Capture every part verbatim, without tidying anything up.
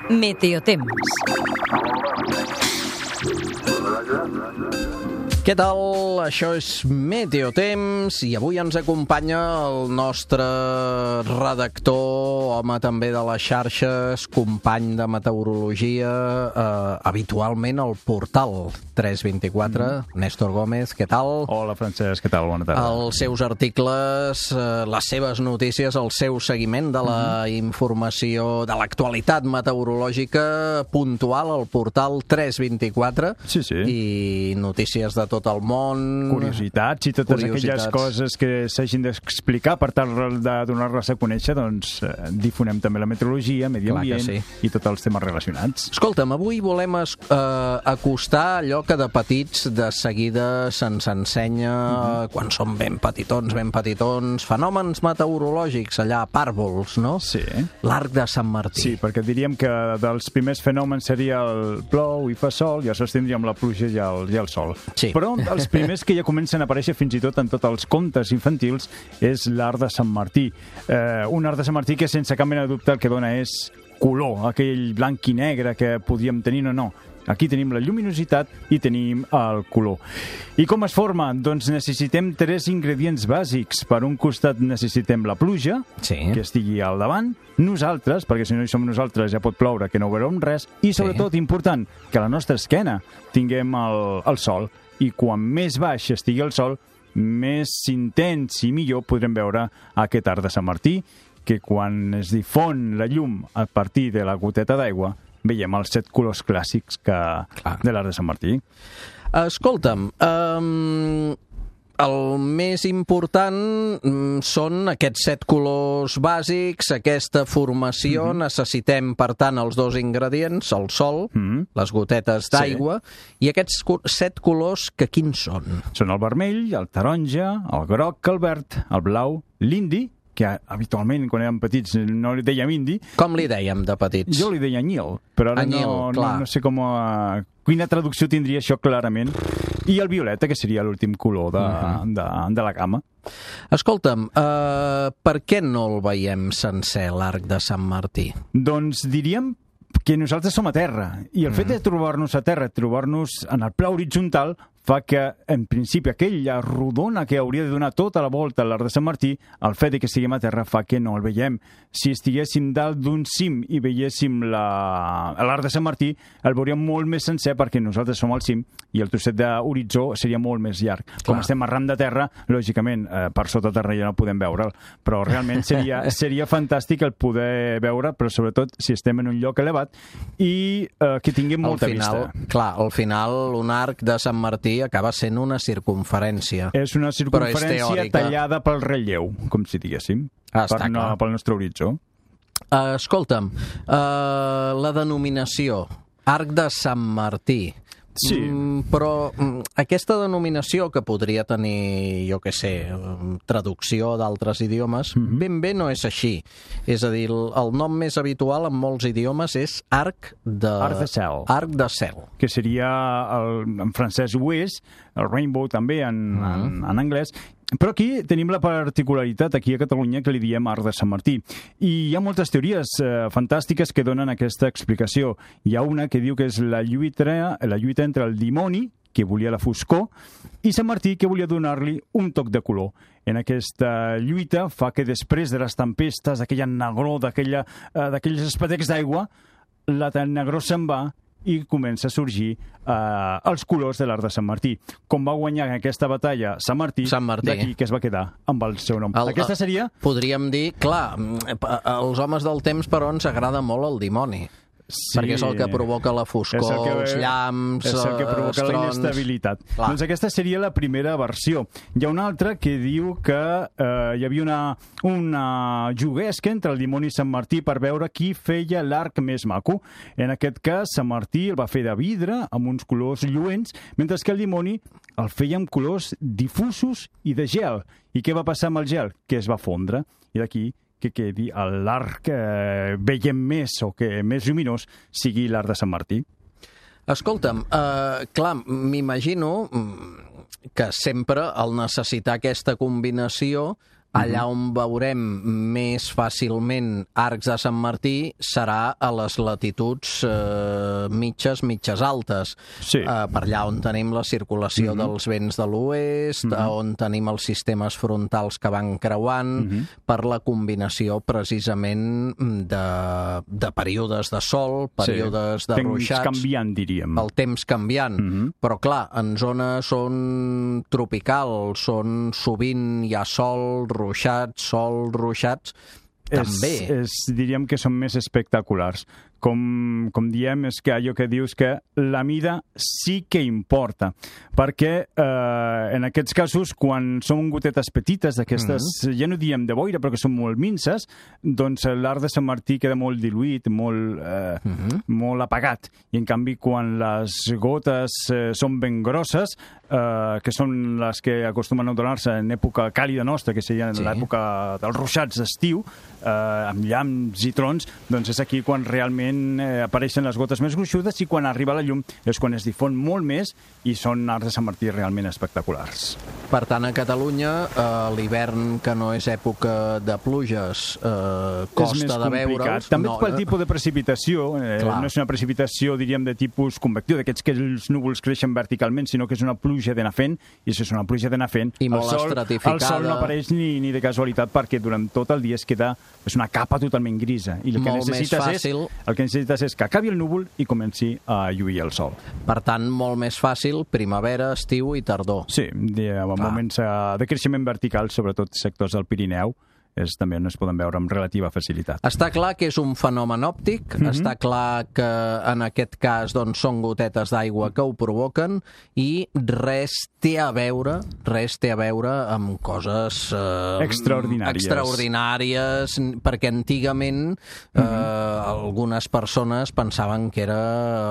Meteotemps. Què tal? Això és Meteotemps i avui ens acompanya el nostre redactor, home també de les xarxes, company de meteorologia, eh, habitualment al portal tres vint-i-quatre, mm. Néstor Gómez, què tal? Hola, Francesc, què tal? Bona tarda. Els seus articles, eh, les seves notícies, el seu seguiment de la mm. informació, de l'actualitat meteorològica puntual al portal tres vint-i-quatre. Sí, sí. I notícies de tot el món. Curiositats i totes Curiositats. aquelles coses que s'hagin d'explicar per tal de donar-les a conèixer, doncs eh, difonem també la meteorologia, medi ambient sí. i tots els temes relacionats. Escolta'm, avui volem es, eh, acostar allò que de petits de seguida se'ns ensenya mm-hmm. quan som ben petitons, ben petitons, fenòmens meteorològics, allà, pàrvols, no? Sí. L'arc de Sant Martí. Sí, perquè diríem que dels primers fenòmens seria el plou i fa sol, i després tindríem la pluja i el, i el sol. Sí. Però els primers que ja comencen a aparèixer fins i tot en tots els contes infantils és l'arc de Sant Martí. Eh, un arc de Sant Martí que sense cap mena de dubte el que dona és color, aquell blanc i negre que podíem tenir o no. Aquí tenim la lluminositat i tenim el color. I com es forma? Doncs necessitem tres ingredients bàsics. Per un costat necessitem la pluja, sí. que estigui al davant, nosaltres, perquè si no hi som nosaltres ja pot ploure, que no veurem res, i sobretot, sí. important, que a la nostra esquena tinguem el, el sol, i quan més baix estigui el sol, més intens i millor podrem veure aquest arc de Sant Martí, que quan es difon la llum a partir de la goteta d'aigua, veiem els set colors clàssics que... de l'arc de Sant Martí. Escolta'm, um, el més important són aquests set colors bàsics, aquesta formació. Mm-hmm. Necessitem, per tant, els dos ingredients, el sol, mm-hmm. les gotetes d'aigua, sí. i aquests set colors, que quins són? Són el vermell, el taronja, el groc, el verd, el blau, l'indi, que habitualment, quan érem petits, no li dèiem indi. Com li dèiem de petits? Jo li deia anyil, però ara anyil, no, no, no sé com a... quina traducció tindria això clarament. I el violeta, que seria l'últim color de, uh-huh. de, de la gamma. Escolta'm, uh, per què no el veiem sencer, l'arc de Sant Martí? Doncs diríem que nosaltres som a terra, i el mm. fet de trobar-nos a terra, trobar-nos en el pla horitzontal, fa que, en principi, aquella rodona que hauria de donar tota la volta a l'arc de Sant Martí, el fet de que estiguem a terra fa que no el veiem. Si estiguéssim dalt d'un cim i veiéssim l'arc de Sant Martí, el veuríem molt més sencer perquè nosaltres som al cim i el trosset d'horitzó seria molt més llarg. Clar. Com estem arran de terra, lògicament, eh, per sota terra ja no podem veure'l, però realment seria, seria fantàstic el poder veure, però sobretot si estem en un lloc elevat i eh, que tinguem molta al final, vista. Clar, al final un arc de Sant Martí acaba sent una circunferència. És una circunferència és tallada pel relleu, com si diguéssim, ah, per no, pel nostre horitzó. Uh, escolta'm, uh, la denominació, arc de Sant Martí, sí. Mm, però mm, aquesta denominació, que podria tenir, jo què sé, traducció d'altres idiomes, mm-hmm. ben bé no és així. És a dir, el, el nom més habitual en molts idiomes és arc de... Arc de cel. Arc de cel. Que seria, el, en francès ho és, el rainbow també en, mm-hmm. en, en anglès. Però aquí tenim la particularitat, aquí a Catalunya, que li diem arc de Sant Martí. I hi ha moltes teories eh, fantàstiques que donen aquesta explicació. Hi ha una que diu que és la lluita, la lluita entre el dimoni, que volia la foscor, i Sant Martí, que volia donar-li un toc de color. En aquesta lluita fa que després de les tempestes, d'aquella negror, d'aquella, eh, d'aquells espatecs d'aigua, la negror se'n va i comença a sorgir eh, els colors de l'arc de Sant Martí. Com va guanyar aquesta batalla Sant Martí, Sant Martí. d'aquí que es va quedar amb el seu nom. El, aquesta seria... Podríem dir, clar, als homes del temps, però, ens agrada molt el dimoni. Sí, perquè és el que provoca la foscor, que, els llamps, és el que provoca els la inestabilitat. Clar. Doncs aquesta seria la primera versió. Hi ha una altra que diu que eh, hi havia una, una juguesca entre el dimoni i Sant Martí per veure qui feia l'arc més maco. En aquest cas, Sant Martí el va fer de vidre, amb uns colors lluents, mentre que el dimoni el feia amb colors difusos i de gel. I què va passar amb el gel? Que es va fondre. I d'aquí que quedi l'arc que veiem més o que més lluminós sigui l'arc de Sant Martí. Escolta'm, uh, clar, m'imagino que sempre al necessitar aquesta combinació Allà on veurem més fàcilment arcs de Sant Martí serà a les latituds eh, mitges, mitges altes. Sí. Eh, per allà on tenim la circulació mm-hmm. dels vents de l'oest, mm-hmm. on tenim els sistemes frontals que van creuant, mm-hmm. per la combinació precisament de, de períodes de sol, períodes sí. de temps ruixats. Temps canviant, diríem. El temps canviant. Mm-hmm. Però clar, en zones on tropical, on sovint hi ha sol, ruixats, sol, ruixats, també. És, és, diríem que són més espectaculars. Com, com diem, és que allò que dius que la mida sí que importa, perquè eh, en aquests casos, quan són gotetes petites d'aquestes, mm-hmm. ja no diem de boira, però que són molt minces, doncs l'arc de Sant Martí queda molt diluït, molt, eh, mm-hmm. molt apagat. I en canvi, quan les gotes eh, són ben grosses, eh, que són les que acostumen a donar-se en època càlida nostra, que seria sí. l'època dels ruixats d'estiu, eh, amb llamps i trons, doncs és aquí quan realment Eh, apareixen les gotes més gruixudes i quan arriba la llum és quan es difon molt més i són arcs de Sant Martí realment espectaculars. Per tant, a Catalunya, eh, l'hivern, que no és època de pluges, eh, costa de veure'ls. També no, pel tipus de precipitació, eh, no és una precipitació, diríem, de tipus convectiu, d'aquests que els núvols creixen verticalment, sinó que és una pluja de nafent, i si és una pluja de nafent, I molt el, sol, estratificada. el sol no apareix ni, ni de casualitat, perquè durant tot el dia es queda és una capa totalment grisa. I el que molt necessites més fàcil. És, el que necessites és que acabi el núvol i comenci a lluir el sol. Per tant, molt més fàcil primavera, estiu i tardor. Sí, en moments de creixement vertical, sobretot sectors del Pirineu, és, també no es poden veure amb relativa facilitat. Està clar que és un fenomen òptic, mm-hmm. està clar que en aquest cas doncs, són gotetes d'aigua que ho provoquen i res té a veure, res té a veure amb coses eh, extraordinàries. extraordinàries, perquè antigament eh, mm-hmm. algunes persones pensaven que era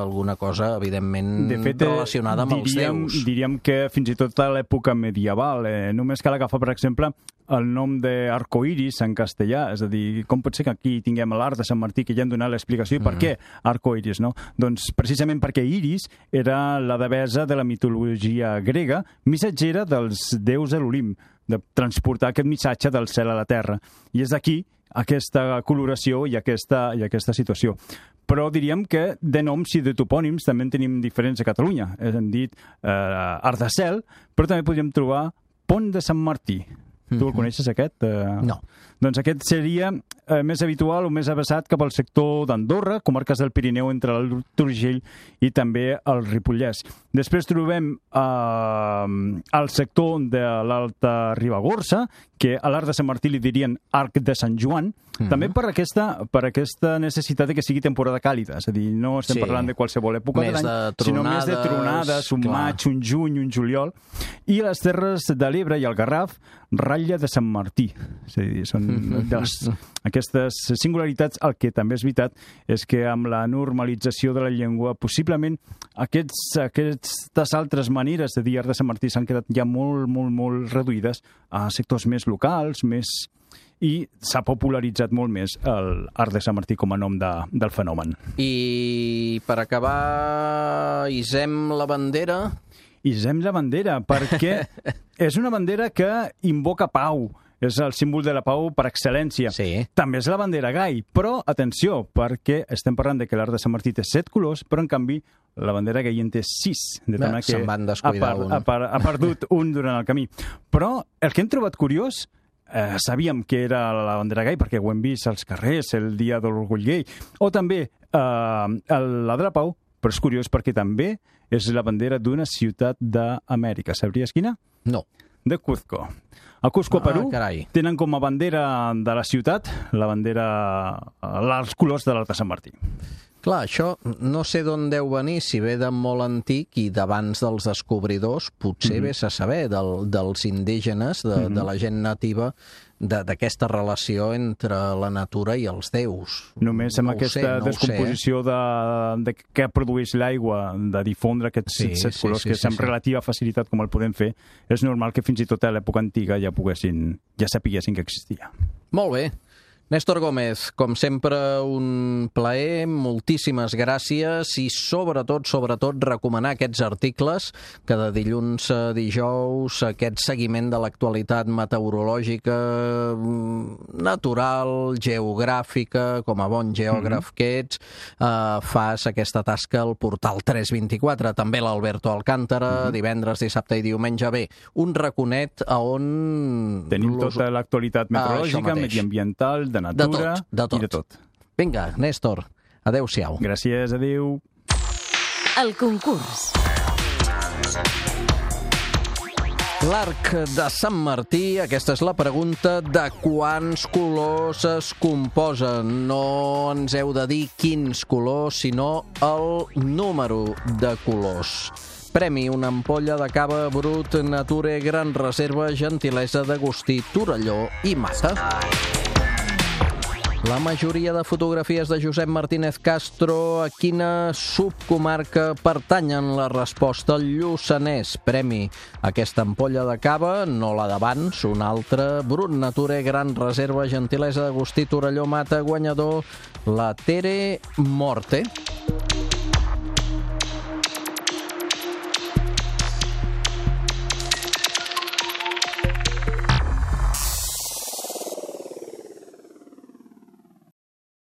alguna cosa, evidentment, de fet, relacionada amb diríem, els déus. Diríem que fins i tot a l'època medieval, eh, només cal agafar, per exemple, el nom d'arcoiris en castellà, és a dir, com pot ser que aquí tinguem l'arc de Sant Martí, que ja han donat l'explicació, i per mm. què arcoiris, no? Doncs precisament perquè Iris era la devesa de la mitologia grega, missatgera dels déus de l'Olimp, de transportar aquest missatge del cel a la terra. I és d'aquí aquesta coloració i aquesta, i aquesta situació. Però diríem que de noms i de topònims també en tenim diferents a Catalunya. Hem dit eh, Arc de Cel, però també podríem trobar Pont de Sant Martí. Tu el coneixes, aquest? No. Doncs aquest seria eh, més habitual o més avessat cap al sector d'Andorra, comarques del Pirineu entre el Turgell i també el Ripollès. Després trobem eh, el sector de l'Alta Ribagorça, que a l'arc de Sant Martí li dirien arc de Sant Joan, mm-hmm. també per aquesta, per aquesta necessitat de que sigui temporada càlida, és a dir, no estem sí. parlant de qualsevol època més de l'any, de sinó més de tronades, un clar. maig, un juny, un juliol, i les terres de l'Ebre i el Garraf, ratlla de Sant Martí. És a dir, són de les, aquestes singularitats. El que també és veritat és que amb la normalització de la llengua, possiblement aquests, aquestes altres maneres de dir arc de Sant Martí s'han quedat ja molt, molt, molt reduïdes a sectors més locals, més... i s'ha popularitzat molt més l'arc de Sant Martí com a nom de, del fenomen. I per acabar, isem la bandera... Isem la bandera, perquè és una bandera que invoca pau. És el símbol de la pau per excel·lència. Sí. També és la bandera gai, però atenció, perquè estem parlant de que l'arc de Sant Martí té set colors, però en canvi la bandera gai en té sis. De Bé, que se'n van descuidar ha, un. Ha, ha perdut un durant el camí. Però el que hem trobat curiós, eh, sabíem que era la bandera gai perquè ho hem vist als carrers el dia de l'orgull gai, o també eh, la de la pau, però és curiós perquè també és la bandera d'una ciutat d'Amèrica. Sabries quina? No. De Cuzco. A Cusco, ah, Perú, carai. tenen com a bandera de la ciutat la bandera, els colors de l'arc de Sant Martí. Clar, això no sé d'on deu venir, si ve de molt antic i d'abans dels descobridors, potser mm-hmm. vés a saber del, dels indígenes, de, mm-hmm. de la gent nativa, d'aquesta relació entre la natura i els déus. Només amb no aquesta sé, no descomposició de, de què produeix l'aigua, de difondre aquests sí, set sí, colors, sí, que sí, amb sí. relativa facilitat com el podem fer, és normal que fins i tot a l'època antiga ja poguessin, ja sapiguessin que existia. Molt bé. Néstor Gómez, com sempre, un plaer, moltíssimes gràcies i sobretot, sobretot, recomanar aquests articles que de dilluns a dijous, aquest seguiment de l'actualitat meteorològica, natural, geogràfica, com a bon geògraf que ets, eh, fas aquesta tasca al portal tres vint-i-quatre. També l'Alberto Alcántara, divendres, dissabte i diumenge. Bé, un raconet a on... Tenim tota l'actualitat meteorològica, mediambiental, de natura de tot, de tot. i de tot. Vinga, Néstor, adeu-siau. Gràcies, adeu. El concurs. L'arc de Sant Martí, aquesta és la pregunta, de quants colors es composa? No ens heu de dir quins colors, sinó el número de colors. Premi, una ampolla de cava Brut Nature Gran Reserva, gentilesa d'Agustí Torelló i Mata. La majoria de fotografies de Josep Martínez Castro a quina subcomarca pertanyen? La resposta al Lluçanès. Premi, aquesta ampolla de cava, no la d'abans, una altra, Brut Nature Gran Reserva, gentilesa d'Agustí Torelló Mata, guanyador, la Tere Morte.